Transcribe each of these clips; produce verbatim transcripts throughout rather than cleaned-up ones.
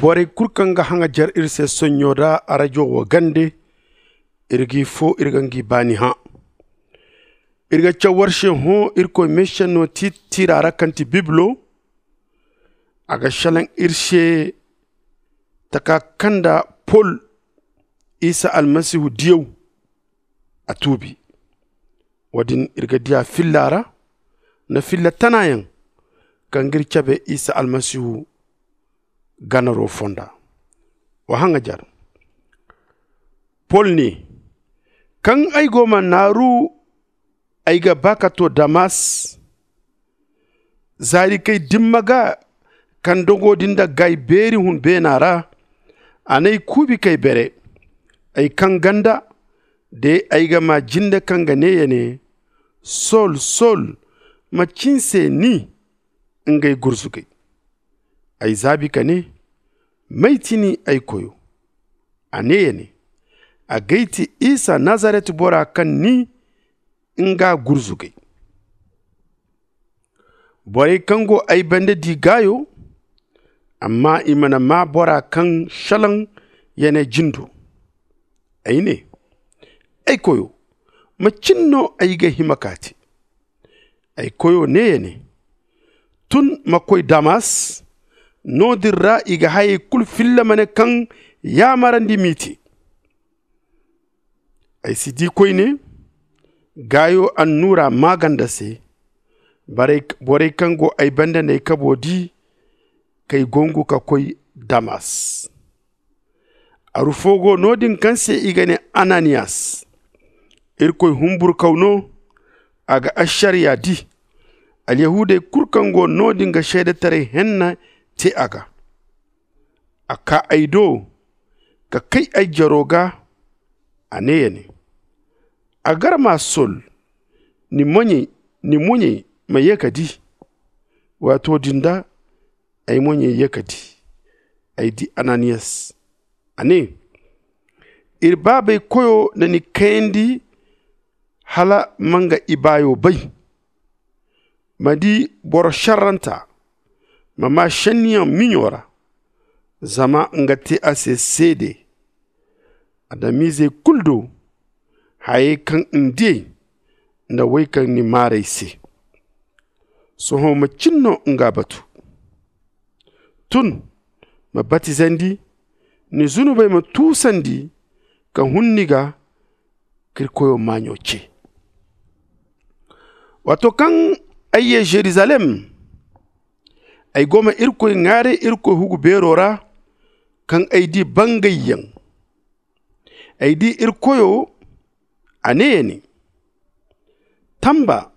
Borey kulu kaŋ ga haŋajer iri se sonɲo da arajo wo gande, iri g'i fo iri ga ngi baani hã. Iri ga caw war se hõ irkoy meesenno tiitira ra kaŋ ti bibilo. A ga šelaŋ iri se taka kaŋ nda pol isa almasihu diyaw a tuubi. Wo-din iri ga diya filla ra nda filla tanayaŋ kaŋ ga iri cabe isa almasihu ganaro fonda. Wa haŋajer pol ne, kaŋ ay go ma naaru ay ga ba ka to damas. Zaari k'ay dimma ga kaŋ dogo din nda gaay beeri hun beena ra. A n'ay kuubi k'ay bere ay kaŋ ganda de ay ga ma jinde kaŋ ga ne ya ne, sol sol, macin se ni? Ngey gurzugay ay zaabi ka ne, may ti ni ay koyo? A ne ya ne, agay ti isa nazaret bora kaŋ ni nga gurzugay. Borey kaŋ go ay banda di gaayo, amma i mana maa bora kaŋ šelaŋ ya ne jindo. Ay ne, ay koyo, macin no ay ga hima ka te? Ay koyo ne ya ne, tun ma koy damas. No-din ra i ga hayey kulu filla ma ne kaŋ yaamarandi m'i te. Ay si di koyne gaayo annuura maaganda se. Borey kaŋ go ay banda n'ay kabo di k'ay gongu ka koy damas. Aru fo go no-din kaŋ se i ga ne ananiyas. Irkoy humburkaw no. A ga ašariya di. Alyahuudey kulu kaŋ go no-din ga seedetaray henna te a ga. A kaa ay do ka kay ay jaro ga. A ne ya ne, a gar ma sol. Ni muɲey ma ye ka di. Waato din da ay muɲey ye ka di. Ay di ananiyas. A ne, iri baabey koyo na ni kayandi hala ma nga ibaayo bay. Ma di boro šerranta. Ma maa šenniyaŋ miɲo ra. Zama nga te a se seede adamiizey kulu do. Hayey kaŋ ni diyey nda wey kaŋ ni maarey se. Sohõ macin no nga batu? Tun ma batizandi. Ni zunubey ma tuusandi ka hun ni ga. K'iri koyo maaɲo ce. Waato kaŋ ay ye žerizalem, ay go ma irkoy ŋwaaray irkoy hugu beero ra. Kaŋ ay di bangayyaŋ, ay di iri koyo. A ne ya ne, tamba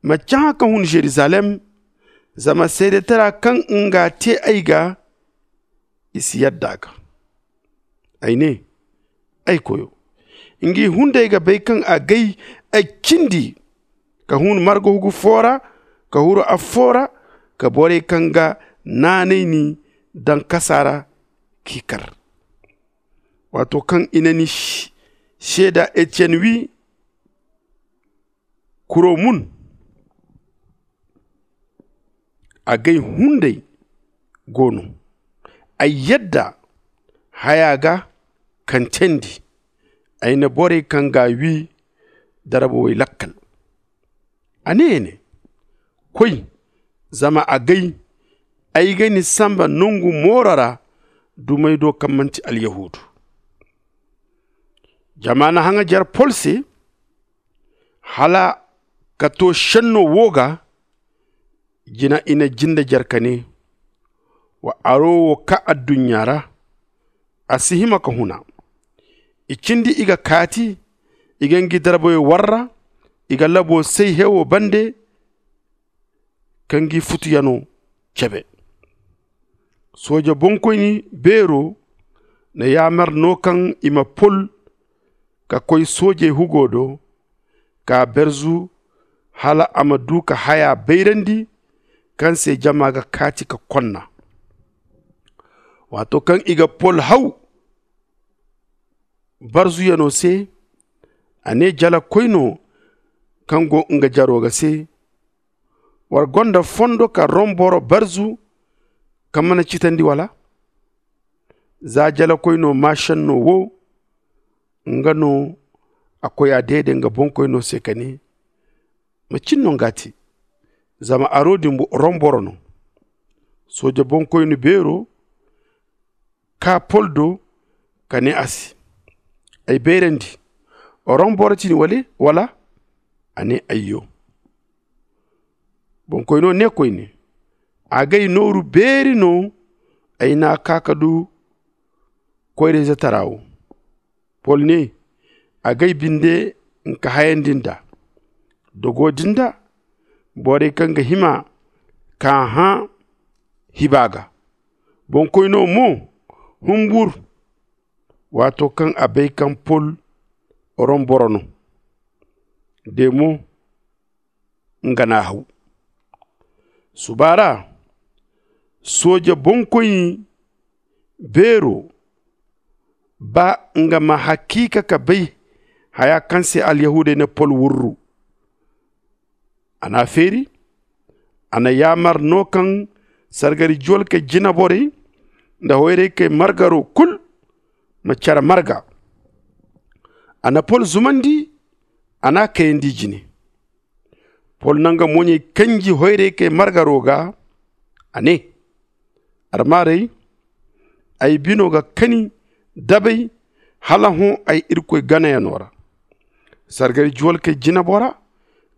ma cahã ka hun žerizalem. Zama seedetara kaŋ nga te ay ga i si yadda a ga. Ay ne, ay koyo, ngi hunday ga bay kaŋ a gay ay cindi ka hun marga hugu fo ra, ka huru affo ra, ka borey kaŋ ga naanay ni daŋ kasa ra k'i kar. Waato kaŋ i na ni seeda etiyen wi kuro mun, agay hunday go no. Ay yadda haya ga kaŋ teendi. Ay na borey kaŋ ga wi darba way lakkal. A ne ya ne, koy, zama agay ay ga ni samba nongu mooro ra dumey do kaŋ manti alyahuudu. Jama na haŋajer pol se hala ka to šenno wo ga. Jina i na jinde jer ka ne, wa aro wo kaa adduɲɲa ra. A si hima ka huna. I cindi i ga kaati. I ga ngi darbayo warra. I ga labo say hewo bande ka ngi futuyano cebe. Sooje bonkoyni beero na yaamar no kaŋ i ma pol ka koy soojey hugo do, ka berzu hala a ma du ka haya bayrandi kaŋ se jama ga kaati ka konna. Waato kaŋ i ga pol haw barzuyano se, a ne jalakoyno kaŋ go nga jaro ga se, war gonda fondo ka rom boro barzu kaŋ mana citandi wala? Za jalakoy no maa šenno wo, nga no a koya deede nga boŋkoyno se ka ne, macin no nga te? Zama aro din rom boro no. Sooje boŋkoyne beero kaa pol do ka ne a se, ay bayrandi, rom boro ti ni wala? A ne, ayyo. Boŋkoyno ne koyne, agay nooru beeri no ay n'a kaa ka du koyrayzetaraa wo. Pol ne, agay binde nka hayandi nd'a. Dogo din da borey kaŋ ga hima k'a hã hiba ga. Boŋkoyno mo humbur, waato kaŋ a bay kaŋ pol rom boro no. De mo nga n'a haw. Suba ra, sooje boŋkoy beero, ba nga ma hakiika ka bay haya kaŋ se alyahuudey na pol wurru, a n'a feeri. A na yaamar no kaŋ sargari juwalkey jinaborey nda hoyraykey margaro kul ma care marga. A na pol zumandi, a n'a kayandi jine. Pol na nga moɲey kanji hoyraykey margaro ga, a ne, armaarey, ay bino ga kani dabay hala hõ ay irkoy ganayano ra. Sargari juwalkey jinabora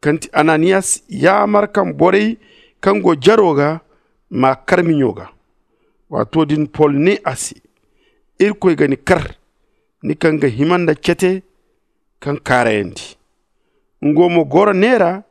kaŋ ti ananiyas yaamar kaŋ borey kaŋ go jaro ga m'a kar miɲo ga. Waato din pol ne a se, irkoy ga ni kar, ni kaŋ ga hima nda cete kaŋ kaarayandi. Nga mo goro neera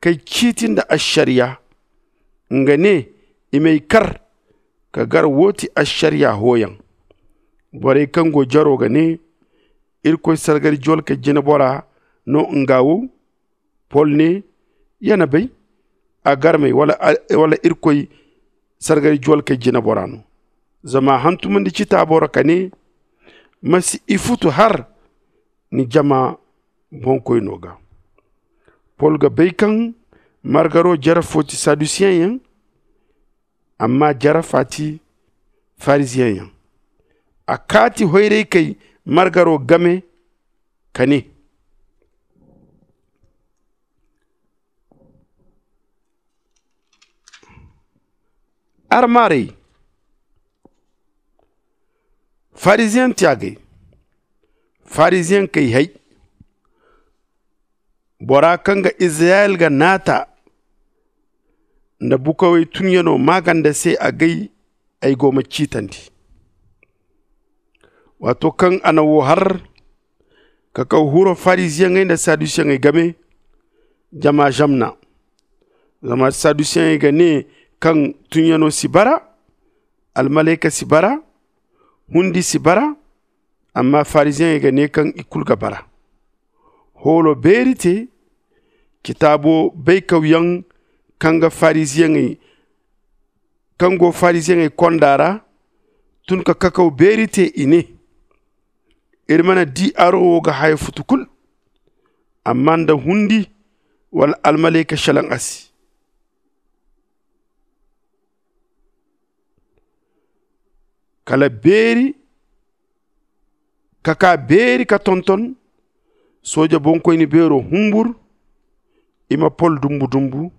kay ciiti nda ašariya. Nga ne, i m'ay kar ka gar wo ti ašariya hooyaŋ. Borey kaŋ go jaro ga ne, irkoy sargari juwalkey jinabora no nga wo? Pol ne, ya na bay, a garmey wala irkoy sargari juwalkey jinabora no. Zama a hantumandi citaabo ra ka ne, ma si i futu har ni jama boŋkoyno ga. Pol ga bay kaŋ margaro jare fo ti sadusiyeŋ yaŋ, amma jare fa ti fariziyeŋ yaŋ. A kaati hoyraykey margaro game ka ne, armaarey, fariziyeŋ ti agay, fariziyeŋ kay hay, bora kaŋ ga izirayel ga naata nda bukawey tunyano maaganda se agay, ay go ma ciitandi. Waato kaŋ a na wo har, ka kaw huro fariziyeŋey nda sadusiyeŋey game, jama zamna. Zama sadusiyeŋey ga ne kaŋ tunyano si bara, almalayka si bara, hundi si bara. Amma fariziyeŋey ga ne kaŋ i kulu ga bara. Hoolo beeri te, citaabo baykawyaŋ kaŋ ga fariziyeŋey kaŋ go fariziyeŋey konda ra tun ka kakaw beeri te, i ne, iri mana di aro wo ga haya futu kulu, amma nda hundi wala almalayka salaŋ a se. Kala beeri ka kaa beeri ka tonton, sooje boŋkoyne beero humbur, i ma pol dumbu dumbu.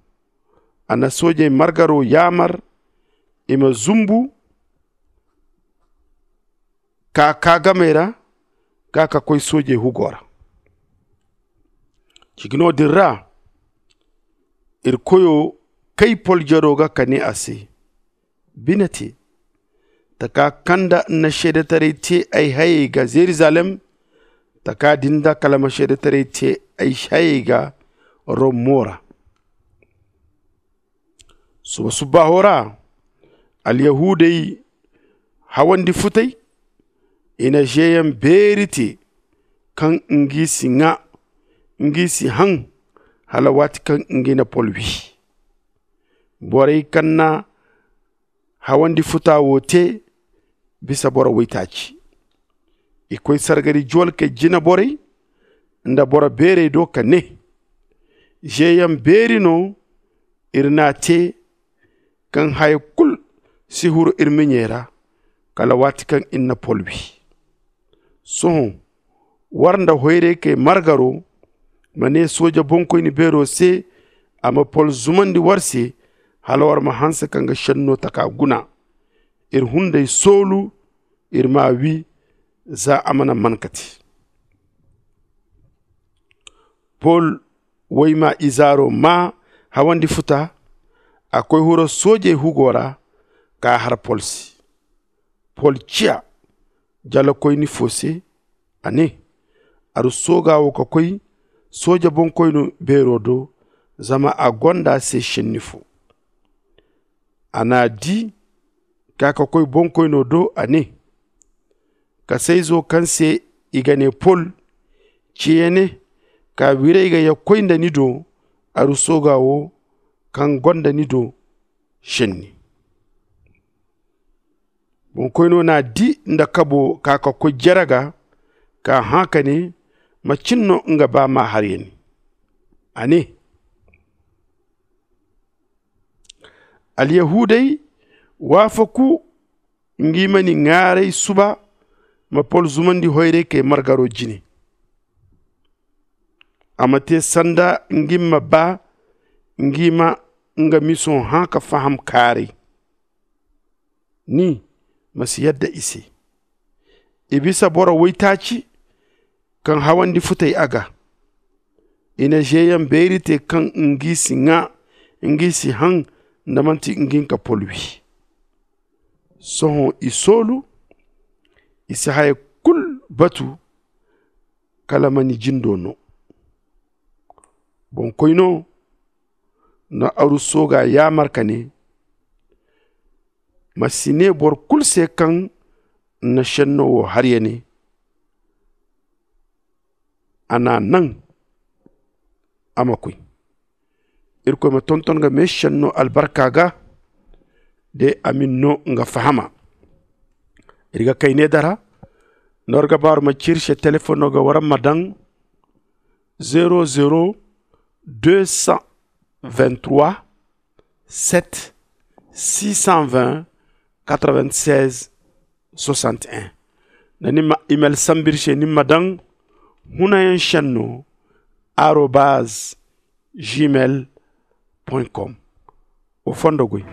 A na soojey margaro yaamar i ma zumbu ka kaa gamey ra, ka ka koy soojey hugo ra. Ciki no din ra, iri koyo kay pol jaro ga ka ne a se, bine te, taka kaŋ nda n'na seedetaray te ay hayey ga zerizalem, taka din da kala ma seedetaray te ay hayey ga rom mo ra. Suba subbaaho ra, alyahuudey hawandi futay, i na zeeyaŋ beeri te kaŋ ngi si ŋaa, ngi si haŋ, hala waati kaŋ ngi na pol wi. Borey kaŋ na hawandi futa wo te bisa boro waytaaci. I koy sargari juwalkey jinaborey nda boro beerey do ka ne, zeeyaŋ beeri no iri n'a te, kaŋ haya kulu si huru iri miɲey ra, Kala waati kaŋ iri na pol wi. Sohõ, war nda hoyraykey margaro ma ne sooja bonkoyni beero se a ma pol zumandi war se, hala war ma hanse ka nga šenno taka guna. Iri hunday soolu, iri m'a wi, za a mana man ka te. Pol wayma izaaro maa hawandi futa. A koy huro soojey hugo ra, k'a har pol se. Pol ciya jalakoyni fo se, a ne, aru sooga wo ka koy sooja bonkoyno beero do, zama a gonda se šenni fo. A n'a di, ka ka koy bonkoyno do, a ne, kasayzo kaŋ se i ga ne pol, ciya ne, ka wiray ga ya koy nda ni do, aru sooga wo kaŋ gonda ni do šenni. Bonkoyno n'a di nda kabo ka ka koy jere ga, ka hã ka ne, macin no nga ba m'a har ya ne? A ne, alyahuudey waafaku ngi ma ni ŋaaray suba, ma pol zumandi hoyraykey margaro jine. A ma te sanda ngi ma ba ngi ma nga miso hã ka faham kaaray. Ni ma si yadda i se. I bisa boro waytaaci kaŋ hawandi futay a ga. I na zeeyaŋ beeri te kaŋ ngi si ŋaa, ngi si haŋ, nda manti ngi nka pol wi. Sohõ i soolu, i si haya kul batu, kala ma ni jindo no. Bonkoyno na aru sooga yaamar ka ne, ma si ne boro kul se kaŋ na šenno wo har ya ne, a n'a naŋ a ma koy. Irkoy ma tonton nga meešenno albarka ga, de a ma ni no nga fahama. Iri ga kayne dara, nda war ga ba war ma ci iri se telefoŋo ga war ma daŋ, zero zero deux cent vingt trois, sept six cent vingt, quatre vingt seize, soixante et un. Nda ni ma email sambu iri se, ni ma daŋ hunayaŋ šenno arobaz gmail point com. Wa fondo goy.